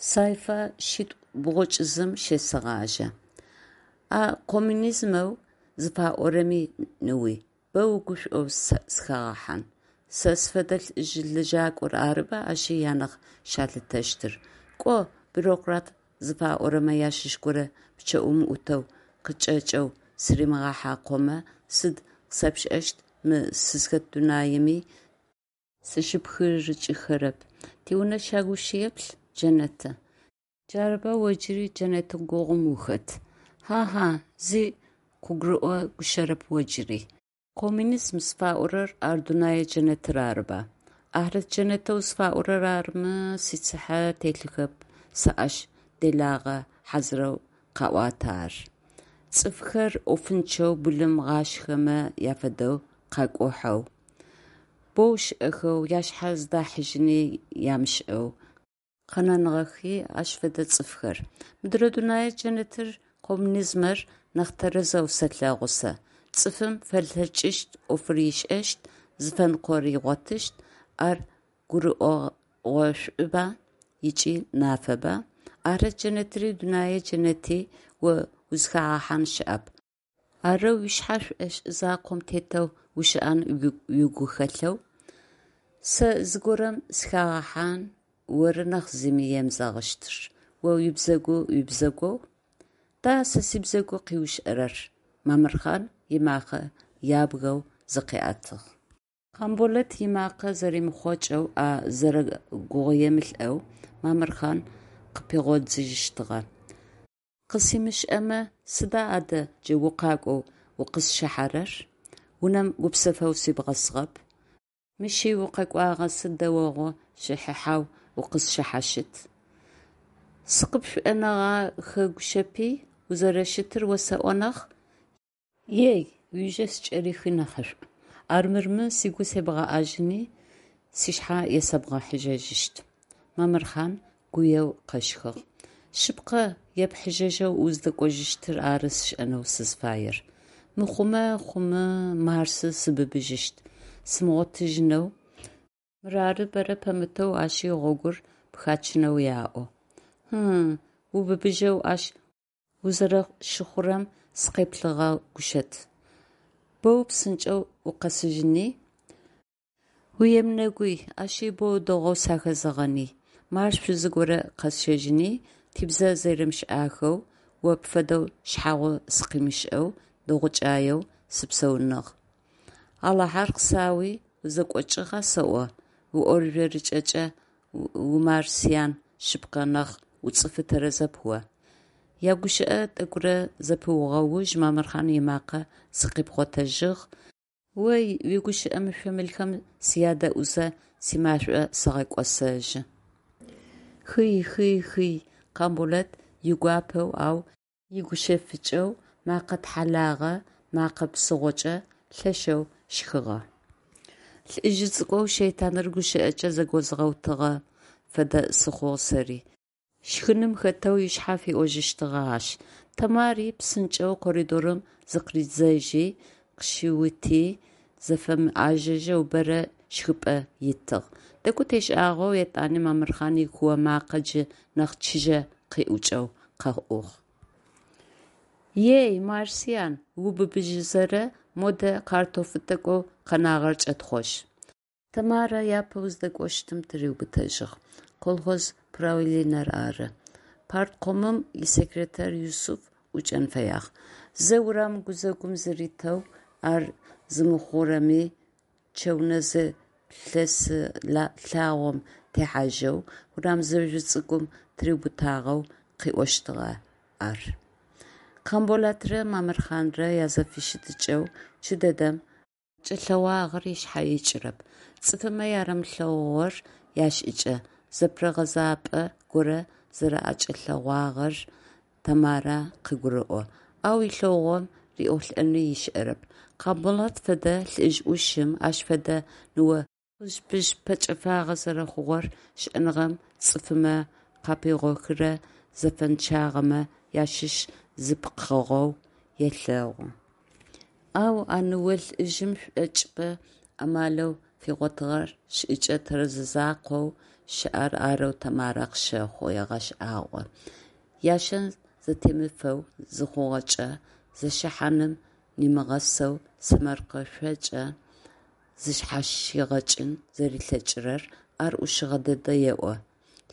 Сайфа шъитӏу бгъучӏ зым щесэгъажьэ. А коммунизмэу зыфаӏорэми, ныуи, бэ угушӀоу сыхагъэхьан. Сэ сфэдэ лӀыжъ лэжьакӀор арыба ащи анахь щалъытэщтыр. КӀо, бюрократ зыфаӀорэмэ ащыщ горэ пчъэӀум Ӏутэу къычӀэкӀэу сыримыгъэхьакъомэ, сыд къысэпшӀэщт мы сызхэт дунаими сыщыпхырыкӀыхэрэп. Тиунэ щагу щеплъ – джэнэты. Джарыба о джыри джэнэт гугъум ухэт. Хьа-хьа, зи къыбгурыӀо гущэрэп о джыри. Коммунизм зыфаӀорэр ар дунэе джэнэтыр арыба? Ахьрэт джэнэтэу зыфаӀорэр арымэ, сицыхьэ телъыхэп сэ ащ, делагъэ хьазырэу къаӀуатэ ар. ЦӀыфхэр Ӏофынчъэу былым гъашхэмэ афэдэу къакӀухьэу, боу щыӀэхэу, ашъхьэ зыдахьыжьыни амышӀэу къэнэныгъэхи ащ фэдэ цӀыфхэр. Мыдрэ дунэе джэнэтыр, коммунизмэр нахь тэрэзэу сэлъэгъу сэ. ЦӀыфым фэлъэкӀыщт Ӏофыр ышӀэщт, зыфэныкъор ыгъотыщт, ар гурыӀогъошӀуба ыкӀи нафэба? Ахьрэт джэнэтри дунэе джэнэти о узхагъэхьан щыӀэп. Арэу уишъхьэ шӀошӀ закъом тетэу ущыӀэн уигухэлъэу? Сэ зыгорэм сыхагъэхьан оры нахь зыми емызэгъыщтыр. О уибзэгу уибзэгоу. Да сэ сибзэгу къыуишӀэрэр! – Мамырхъан ымакъэ ябгэу зыкъиӀэтыгъ. Къамболэт ымакъэ зэримыхъокӀэу, а зэрэгугъуемылӀэу Мамырхъан къыпигъодзыжьыщтыгъэ: «КъысимышӀэмэ, сыда адэ джы укъакӀоу укъызщыхьэрэр? Унэм гупсэфэу сибгъэсыгъэп. Мыщи укъэкӀуагъэ сыд дэогъу щыхьыхьэу укъысшъхьащыт? СыкъыпшӀонэгъахэгущэпи, узэрэщытыр осэӀо нахь. Ей, уижэ скӀэрыхи нахьышӀу, армырмэ сыгу себгъэӀэжьыни, сшъхьэ есэбгъэхьыжьэжьыщт, – Мамырхъан гуеу къэщхыгъ. Шъыпкъэ, епхьыжьэжьэу уздэкӀожьыщтыр ары сшӀэнэу сызфаер. Мыхъумэ хъумэ Марсы сыбыбыжьыщт, сымыгъотыжьынэу. Мырары бэрэ пэмытэу ащи гъогур пхачынэу аӏо. Ы-ы, убыбыжьэу ащ узэрэщыхъурэм сыкъеплъыгъэгущэт. Боу псынкӀэу укъэсыжьыни. Уемынэгуй, ащи боу дэгъоу сахэзэгъэный. Марс шъузы горэ къэсщэжьыни, тибзэ зэримышӀахэу, о пфэдэу шъхьагъо сыкъимышӀэу, дэгъукӀаеу сыпсэуныгъ. Алахьэр къысауи, узэкӀокӀыгъа сэӀо, уиӀоржъорыкӀэкӀэ умарсиан шъыпкъэ нахь уцӀыфы тэрэзэп о! ЯгущыӀэ тӀэкӀурэ зэпыугъэ уж Мамырхъан ымакъэ зыкъипхъотэжьыгъ: О уигущыӀэ мышъо-мылхэм сядэӀузэ, симашӀо сэгъэкӀосэжьы. Хый-хый-хый, – Къамболэт игуапэу, ау игущэфыкӀэу, мэкъэ тхьалагъэ, мэкъэ псыгъокӀэ лъэшэу щхыгъэ. Лӏыжъ цӀыкӀоу шэйтаныр гущыӀэкӀэ зэгозгъэутыгъэм фэдэ сыхъугъ сэри, щхыным хэтэу ышъхьэ фиӀожьыщтыгъэ ащ. Тэмари псынкӀэу коридорым зыкъыридзэжьи къыщиути, зыфэмыӀажэжьэу бэрэ щхыпӀэ итыгъ. ТӀэкӀу тешӀагъэу етӀани Мамырхъан икуо макъэ джы нахь чыжьэ къиӀукӀэу къэӀугъ. Ей, марсиан, убыбыжьызэрэ, модэ картофы тӀэкӀоу къэнагъэр кӀэтхъожь. Тэмарэ япэу зыдэкӀощтым тыриубытэжьыгъ: колхоз правленэр ары. Парткомым исекретарь Юсыф ӀукӀэн фэягъ. Зэ урам гузэгум зыритэу, ар зымыхъурэми чэунэзэ лъэс лъагъом техьажьэу, урам зэжъу цӀыкӀум тыриубытагъэу къыӏощтыгъэ ар. Къамболэтрэ Мамырхъанрэ язэфыщытыкӏэу джыдэдэм акӏэлъэгъуагъэр ышъхьэ икӏырэп. Цӏыфымэ ярэмылъэгъугъэр яшӏыкӏэ, зэпырыгъэзапӏэ горэ зэраӏэкӏэлъэгъуагъэр Тэмарэ къыгурэӏо, ау ылъэгъугъэм риӏолӏэни ышӏэрэп. Къамболэт фэдэ лӏыжъ ӏушым ащ фэдэ ныо пыжъ-пыжъ пэкӏэфагъэ зэрэхъугъэр щыӀэныгъэм цӀыфымэ къапигъохырэ зэфэнчъагъэмэ ащыщ зы пкъыгъоу елъэгъу. Ау а ныо-лӏыжъым шӏокӏыпӏэ амалэу фигъотыгъэр шӏыкӏэ тэрэз закъоу щыӀэр арэу Тэмарэ къыщэхъу, егъэшӀагъо. Яшэн зэтемыфэу зыхъугъэкӀэ, зэщыхьаным нимыгъэсэу сэмэркъэушъокӀэ зышъхьащигъэкӀын зэрилъэкӀырэр, ар Ӏушыгъэ дэд еӀо,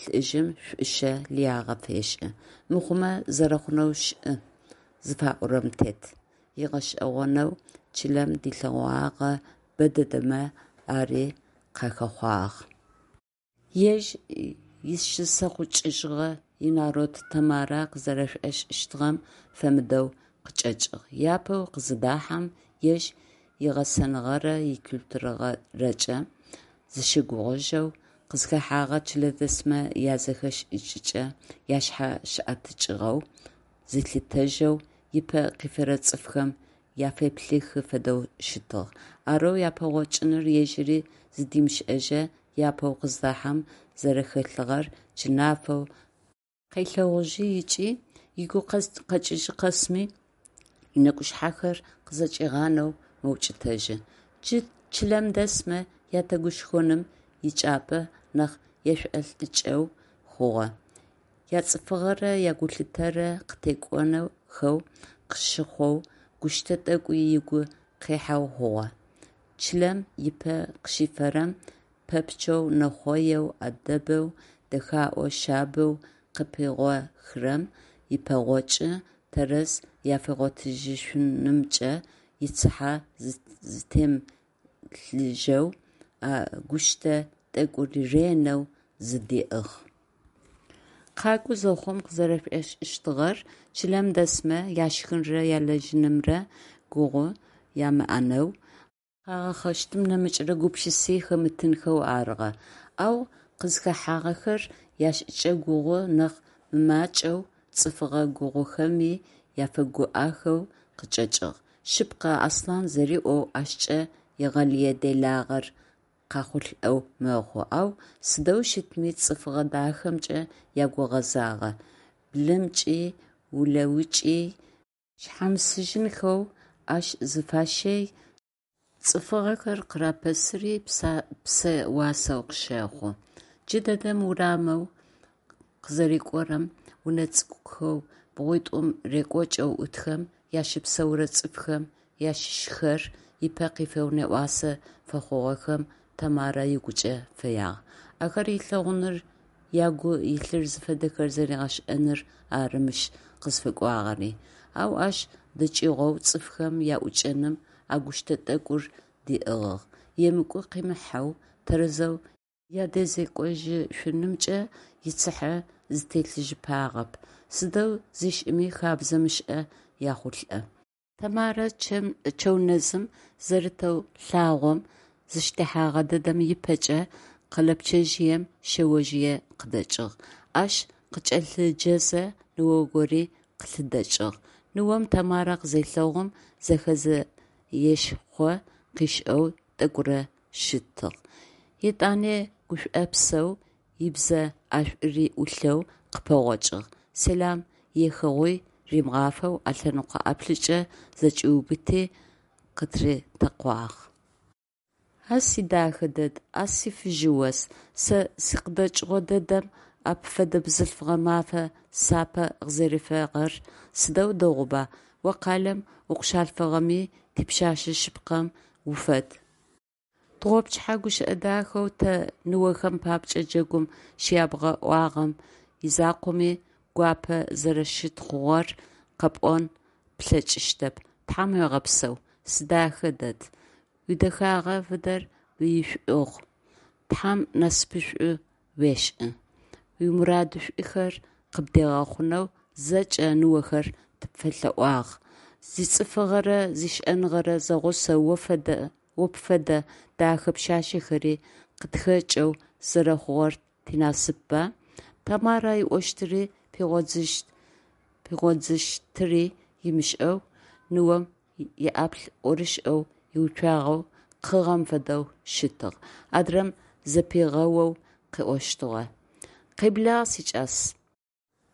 лӀыжъым шӀущэ лыягъэ фешӀы, мыхъумэ зэрэхъунэу шӀы зыфаӀорэм тет, ыгъэшӀэгъонэу чылэм дилъэгъогъэ бэдэдэмэ ари къахэхъуагъ. Ежь изщысэхъукӀыжьыгъэ инарод Тэмарэ къызэрэшӀошӀыщтыгъэм фэмыдэу къычӀэкӀыгъ. Япэу къызыдахьэм, ежь игъэсэныгъэрэ икультурэрэкӀэ зыщыгугъыжьэу, къызхэхьэгъэ чылэдэсмэ язэхэшӀыкӀыкӀэ ашъхьащыӀэтыкӀыгъэу зилъытэжьэу, ыпэ къифэрэ цӀыфхэм яфеплъыхы фэдэу щытыгъ. Арэу япэгъокӀыныр ежьыри зыдимышӀэжьэу япэу къыздахьэм зэрэхэлъыгъэр джы нафэу къелъэгъужьы ыкӀи ыгу къэкӀыжьы къэсми ынэкӀушъхьэхэр къызэкӀигъанэу мэукӀытэжьы. Джы чылэм дэсмэ ятегушхоным ичӀыпӀэ нахь ешӀолӀыкӀэу хъугъэ, яцӀыфыгъэрэ ягулъытэрэ къытекӀохэу къыщыхъоу, гущтэ тӀэкӀуи ыгу къихьэу хъугъэ. Чылэм ыпэ къыщифэрэм пэпчъэу нэхъоеу, Ӏэдэбэу, дэхаӀоу, шъабэу къыпигъохрэм ипэгъокӀы тэрэз афигъотыжьышъунымкӀэ ицыхьэ зытемылъыжьэу а гущтэ тӀэкӀур ренэу зыдиӀыгъ. КъакӀо зэхъум къызэрэшӀошӀыщтыгъэр чылэм дэсмэ яшхынрэ ялэжьынымрэ гугъу ямыӀэнэу, къагъэхъэщтым нэмыкӀрэ гупшыси хэмытынхэу арыгъэ. Ау къызхэхьагъэхэр яшӀыкӀэ гугъу нахь мымакӀэу, цӀыфыгъэ гугъухэми афэгуӀэхэу къычӀэкӀыгъ. Шъыпкъэ, Аслъан зэриӀоу, ащкӀэ егъэлые делагъэр къяхъулӀэу мэхъу, ау сыдэу щытми цӀыфыгъэ дахэмкӀэ ягу гъэзагъэ, былымкӀи улэукӀи шъхьамысыжьынхэу Ӏэщ зыфащэи, цӀыфыгъэхэр къырапэсыри псэ уасэу къыщэхъу. Джыдэдэм урамэу къызэрикӀорэм унэ цӀыкӀухэу бгъуитӀум рекӀокӀэу Ӏутхэм ащыпсэурэ цӀыфхэм ащыщхэр ыпэ къифэу нэӀуасэ фэхъугъэхэм Тэмарэ ыгукӀэ фэягъ. Ахэр ылъэгъуныр, агу илъыр зыфэдэр зэригъэшӀэныр ары мыщ къызфэкӀуагъэри. Ау ащ дыкӀыгъоу цӀыфхэм аӀукӀэным а гущтэ тӀэкӀур диӀыгъыгъ, емыкӀу къимыхьэу, тэрэзэу ядэзекӀожьышъунымкӀэ ицыхьэ зытелъыжьыпагъэп, сыдэу зишӀыми хэбзэ мышӀэ яхъулӀэ. Тэмарэ чэунэзым зэрытэу лъагъом зыщытехьэгъэ дэдэм ыпэкӀэ къэлэпчъэжъыем шъэожъые къыдэкӀыгъ. Ащ къыкӀэлъыджэзэ ныо гори къылъыдэкӀыгъ. Ныом Тэмарэ къызелъэгъум, зэхэзэ ешхъо къышӀэу тӀэкӀурэ щытыгъ. ЕтӀани гушӀопсэу, ыбзэ ӀэшӀури Ӏулъэу къыпэгъокӀыгъ, сэлам ехыгъуи римыгъафэу ӏэлъэныкъо ӀаплӀыкӀэ зэкӀиубыти, къытыритэкъуагъ. А сидэхэ дэд, а сифыжьы ос, сэ сикъыдэкӀыгъо дэдэм а пфэдэ бзылъфыгъэ мафэ сапэ къызэрифагъэр сыдэу дэгъуба, о къалэм укъыщалъфыгъэми, типшъэшъэ шъыпкъэм уфэд. Тыгъопчыхьэ гущыӀэ дахэу тэ, ныохэм папкӀэ джэгум щябгъэӀуагъэм изакъоми гуапэ зэрэщытхъугъэр къэпӀон плъэкӀыщтэп, тхьам уегъэпсэу, сидэхэ дэд, уидэхагъэ фэдэр уишӀугъу, тхьам насыпышӀо уешӀ, уимурадышӀухэр къыбдигъэхъунэу зэкӀэ ныохэр тыпфэлъэӀуагъ, зицӀыфыгъэрэ зишӀэныгъэрэ зэгъусэу о пфэдэ дахэ пшъашъэхэри къытхэкӀэу зэрэхъугъэр тинасыпба? Тэмарэ ыӀощтыри пигъодзыщтыри ымышӀэу ныом иӀаплӀ ӀорышӀэу иуцуагъэу къыгъэм фэдэу щытыгъ, адрэм зэпигъэоу къыӀощтыгъэ: Къеблагъ, сикӀас.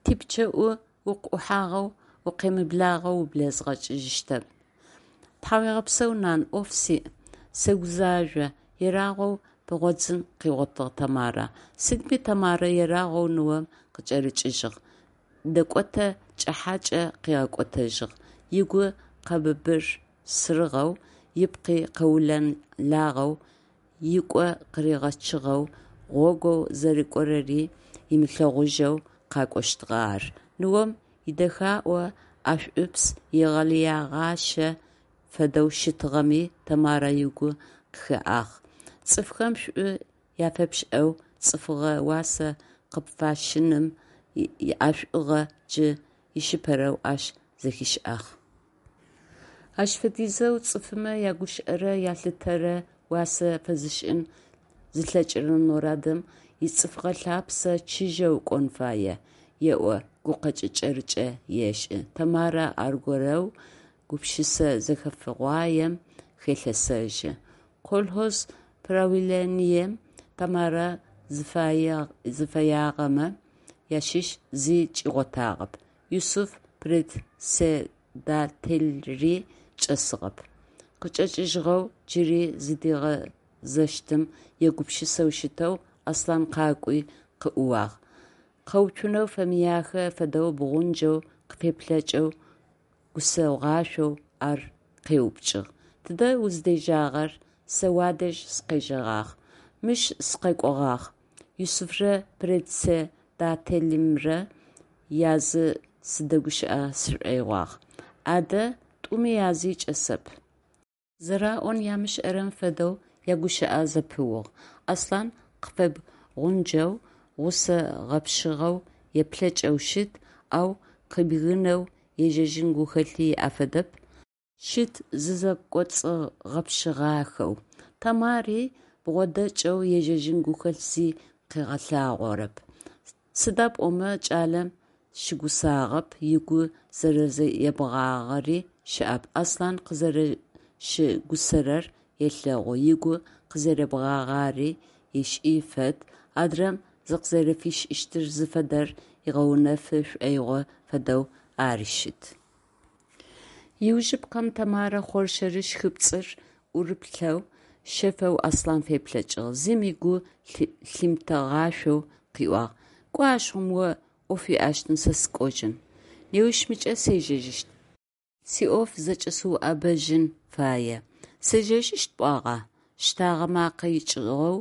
ТипчъэӀу укъыӀухьагъэу укъемыблагъэу ублэзгъэкӀыщтэп. Тхьауегъэпсэу, нан, Ӏоф сиӀ, сэгузажъо, ерагъэу пыгъодзын къыгъотыгъ Тэмарэ. Сыдми Тэмарэ ерагъоу ныом къыкӏэрыкӏыжьыгъ, дэкӏотэ кӏыхьэкӏэ къыгъэкӏотэжьыгъ. Ыгу къэбырсырыгъэу, ыпкъи къэулэлагъэу, икӏо къыригъэчыгъэу, гъогоу зэрыкӏорэри ымылъэгъужьэу къакӏощтыгъэ ар. Ныом идэхаӏо ӏэшӏупс егъэлыегъащэ фэдэу щытыгъэми, Тэмарэ ыгу къыхэӏагъ. Цӏыфхэм шӏу афэпшӏэу, цӏыфыгъэ уасэ къыпфашӏыным иӏэшӏугъэ джы ишыпэрэу ащ зэхишӏагъ. Ащ фэдизэу цӏыфмэ ягущыӏэрэ ялъытэрэ уасэ фэзышӏын зылъэкӏырэ народым ицӏыфыгъэ лъапсэ чыжьэу кӏон фае, еӏо, гукъэкӏ кӏэрыкӏэ ешӏы. Тэмарэ аргорэу гупшысэ зэхэфыгъуаем хелъэсэжьы. Колхоз правлением Тэмарэ зыфэягъэмэ ащыщ зи чӏигъотагъэп. Юсыф председателри чӏэсыгъэп. Къычӏэкӏыжьыгъэу джыри зыдигъэзэщтым егупшысэу щытэу, Аслъан къакӏуи къыӏууагъ. Къэуцунэу фэмыяхэ фэдэу бгъунджэу къыфеплъэкӏэу гусэгъашъоу ар къеупчӏыгъ: «Тыдэ уздежьагъэр, сэ уадэжь сыкъежьэгъагъ?» «Мыщ сыкъэкӏогъагъ, Юсыфрэ председателымрэ язы сыдэгущыӏэ сшӏоигъуагъ». «Адэ, тӏуми язи чӏэсэп». Зэраӏон амышӏэрэм фэдэу ягущыӏэ зэпыугъ. Аслъан къыфэбгъунджэу, гъусэ гъэпщыгъэу еплъэкӏэу щыт, ау къыбгынэу ежьэжьын гухэлъи иӏэ фэдэп, щыт зызэкӏоцӏыгъэпщыгъахэу. Тэмари бгъодэкӏэу ежьэжьын гухэлъ зи къыгъэлъагъорэп. Сыда пӏомэ кӏалэм щыгусагъэп, ыгу зэрэебгъагъэри щыӏэп. Аслъан къызэрэщыгусэрэр елъэгъу, ыгу къызэребгъагъэри ышӏи фэд, адрэм зыкъызэрэфишӏыщтыр зыфэдэр ыгъэунэфы шӏоигъо фэдэу ари щыт. Иужьыпкъэм Тэмарэ хъоршэры щхыпцӏыр ӏурыплъэу, шъэфэу Аслъан феплъэкӏыгъ, зыми гу лъимытэгъашъоу къыӏуагъ: «Кӏо ащыгъум о ӏоф уиӏэщтын, сэ сыкӏожьын. Неущмыкӏэ сежьэжьыщт. Сиӏоф зэкӏэсыуӏэбэжьын фае». «Сежьэжьыщт пӏуагъа?» Щтагъэ макъэ икӏыгъэу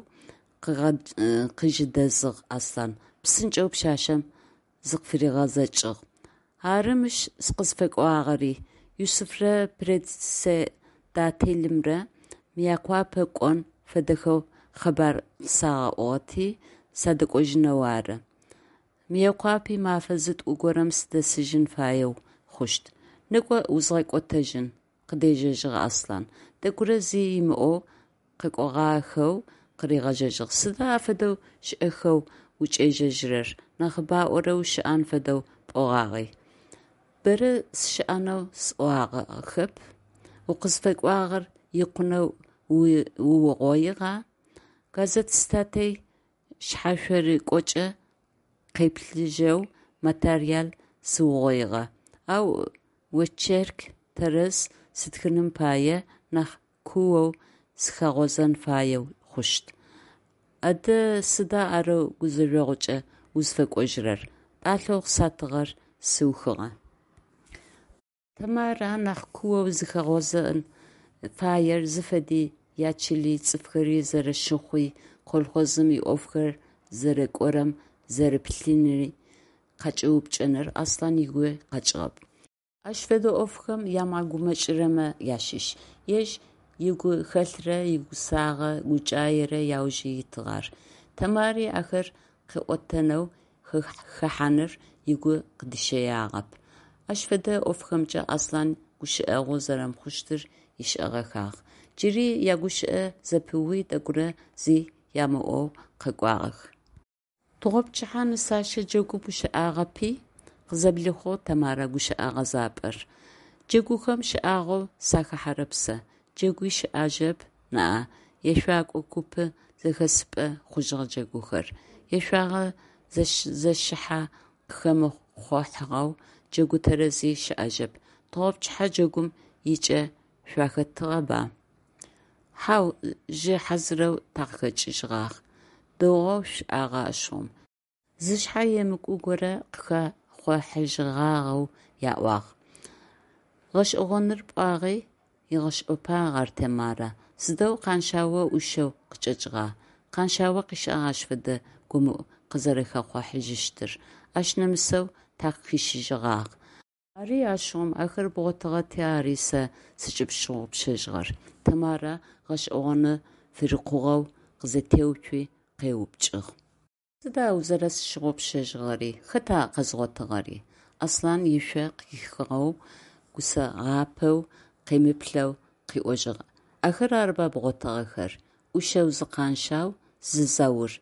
къыжэдэзыгъ Аслъан, псынкӏэу пшъашъэм зыкъыфыригъэзэкӏыгъ: «Ары мыщ сыкъызфэкӏуагъэри. Юсыфрэ председателымрэ Мыекъуапэ кӏон фэдэхэу къэбар къысагъэӏугъэти, садэкӏожьынэу ары. Мыекъуапи мэфэ зытӏу горэм сыдэсыжьын фаеу хъущт. Некӏо, узгъэкӏотэжьын, – къыдежьэжьыгъ Аслъан. Тӏэкӏурэ зи ымыӏоу къэкӏогъахэу къыригъэжьэжьыгъ: «Сыда афэдэу шӏэхэу укӏежьэжьырэр, нахьыбаӏорэ ущыӏэн фэдэу пӏогъагъи?» «Бэрэ сыщыӏэнэу сӏуагъэхэп. Укъызфэкӏуагъэр икъунэу уугъоигъа?» «Газет статей шъхьашъорыкӏокӏэ къеплъыжьэу материал сыугъоигъэ, ау очерк тэрэз стхыным пае нахь куоу сыхэгъозэн фаеу хъущт». «Адэ сыда арэу гузэжъогъукӏэ узфэкӏожьырэр?» «Пӏалъэу къысатыгъэр сыухыгъэ. Тэмарэ анахь куоу зыхэгъозэн фаер зыфэди, ячыли, цӏыфхэри зэрэщыхъуи, колхозым иӏофхэр зэрэкӏорэм зэрэпылъыни къакӏэупчӏэныр Аслъан ыгуи къэкӏыгъэп. Ащ фэдэ ӏофхэм ямыгъэгумэкӏырэмэ ащыщ. Ежь игухэлърэ игусагъэ гукӏаерэ яужы итыгъ ар. Тэмари ахэр къыӏотэнэу хэхьаныр ыгу къыдищэягъэп. Ащ фэдэ ӏофхэмкӏэ Аслъан гущыӏэгъу зэрэмыхъущтыр ышӏэгъэхагъ. Джыри ягущыӏэ зэпыуи, тӏэкӏурэ зи ямыӏоу къэкӏуагъэх. Тыгъопчыхьэ нысащэ джэгум ущыӏагъэпи? – къызэблихъугъ Тэмарэ гущыӏэ гъэзапӏэр. Джэгухэм шӏагъоу сахэхьэрэп сэ. Джэгуи щыӏэжьэп ныӏа, ешъокӏо куп зэхэсыпӏэ хъужьыгъ джэгухэр. Ешъуагъэ зэщыхьэ къыхэмыхъухьэгъэ джэгу тэрэзи щыӏэжьэп. Тыгъопчыхьэ джэгум икӏэ шъуахэтыгъэба? Хьау, жъы хьазырэу такъыхэкӏыжьыгъагъ. Дэгъоу шъушӏагъэ ащыгъум. Зышъхьэ емыкӏу горэ къыхэхъухьажьыгъагъэу аӏуагъ. Гъэшӏэгъоныр пӏуагъи, егъэшӏопагъ ар Тэмарэ. Сыдэу Къэншъао ӏушэу къычӏэкӏыгъа? Къэншъао къышӏагъ ащ фэдэ гомыӏу къызэрэхэхъухьажьыщтыр. Ащ нэмысэу такъыхищыжьыгъагъ. Ари ащыгъум, ахэр бгъотыгъэти ары сэ сыкӏыпщыгъупшэжьыгъэр, Тэмарэ гъэшӏэгъоны фырикъугъэу къызэтеуцуи къеупчӏыгъ. Сыда узэрэсщыгъупшэжьыгъэри, хэта къэзгъотыгъэри? Аслъан ышъо къихыгъэу, гусэгъапэу къемыплъэу къыӏожьыгъ: Ахэр арыба бгъотыгъэхэр, ӏушэу зы Къаншъау, зы Заур.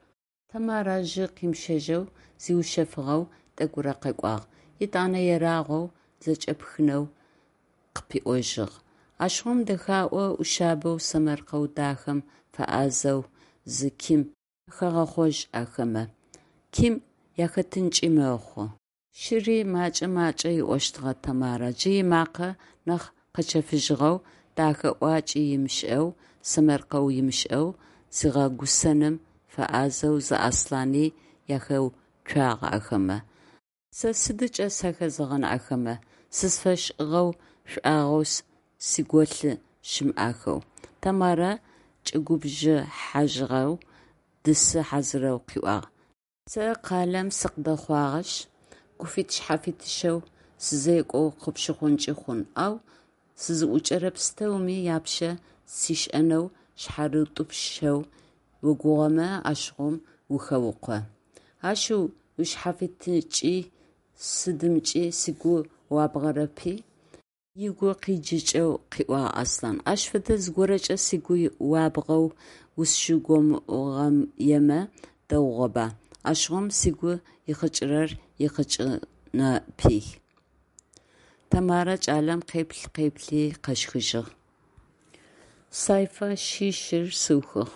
Тэмарэ жьы къимыщэжьэу, зиушъэфыгъэу тӏэкӏурэ къэкӏуагъ, етӏанэ ерагъоу зэкӏэпхынэу къыпиӏожьыгъ: Ащыгъум дэхаӏо ӏушъабэу сэмэркъэу дахэм фэӏазэу зы Ким ахэгъэхъожь ахэмэ. Ким яхэтынкӏи мэхъу. Щыри макӏэ-макӏэ ыӏощтыгъэ Тэмарэ, джы ымакъэ нахь къэчэфыжьыгъэу, дахэ ӏуакӏи ымышӏэу, сэмэркъэу ымышӏэу, зигъэгусэным фэӏазэу зы Аслъани яхэуцуагъ ахэмэ. Сэ сыдыкӏэ сахэзэгъэн ахэмэ, сызфэшӏыгъэу шӏуагъэу сиголъы щымыӏахэу? Тэмарэ кӏэгубжыхьажьыгъэу, дысы хьазырэу къыӏуагъ: Сэ къалэм сыкъыдэхъугъэшъ, гуфит-шъхьафитыщэу сызекӏоу къыпщыхъункӏи хъун, ау сызыӏукӏэрэ пстэуми япщэ сишӏэнэу шъхьарытӏупщэу огугъэмэ, ащыгъум ухэукъо. Ашъыу, ушъхьафитыкӏи сыдымкӏи сыгу уабгъэрэпи? Ыгу къиджыкӏэу къыӏуагъ Аслъан. Ащ фэдэ зыгорэкӏэ сыгу уабгъэу усщыгомыӏугъэемэ дэгъугъэба, ащыгъум сыгу ихъыкӏырэр ихъыкӏынэпи. Тэмарэ кӏалэм къеплъ-къеплъи къэщхыжьыгъ. Сайфэ шъищыр сыухыгъ.